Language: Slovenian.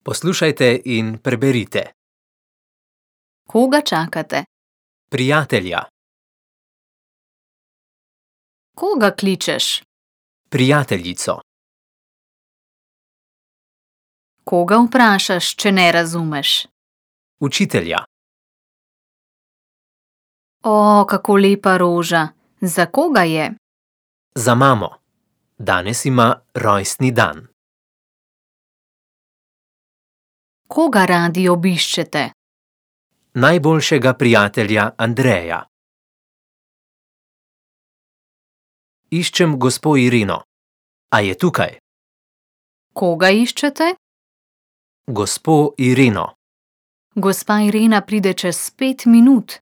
Poslušajte in preberite. Koga čakate? Prijatelja, Koga kličeš? prijateljico, Koga vprašaš, če ne razumeš? učitelja, O, kako lepa roža. Za koga je? za mamo. Danes ima rojstni dan. Koga radi obiščete? Najboljšega prijatelja Andreja. Iščem gospo Irino. A je tukaj? Koga iščete? Gospo Irino. Gospa Irena pride čez 5 minut.